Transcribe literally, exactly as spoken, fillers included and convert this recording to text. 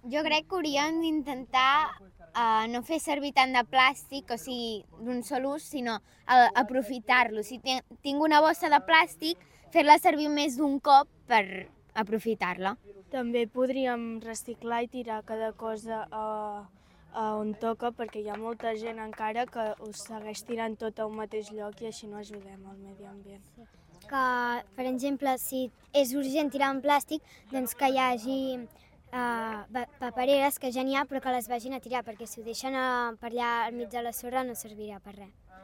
Jo crec que hauríem d'intentar uh, no fer servir tant de plàstic, o sigui, d'un sol ús, sinó uh, aprofitar-lo. Si tinc una bossa de plàstic, fer-la servir més d'un cop per aprofitar-la. També podríem reciclar i tirar cada cosa a, a on toca, perquè hi ha molta gent encara que us segueix tirant tot a un mateix lloc i així no ajudem al medi ambient. Que, per exemple, si és urgent tirar un plàstic, doncs que hi hagi uh, papereres, que ja n'hi ha, però que les vagin a tirar, perquè si ho deixen uh, per allà al mig de la sorra no servirà per res.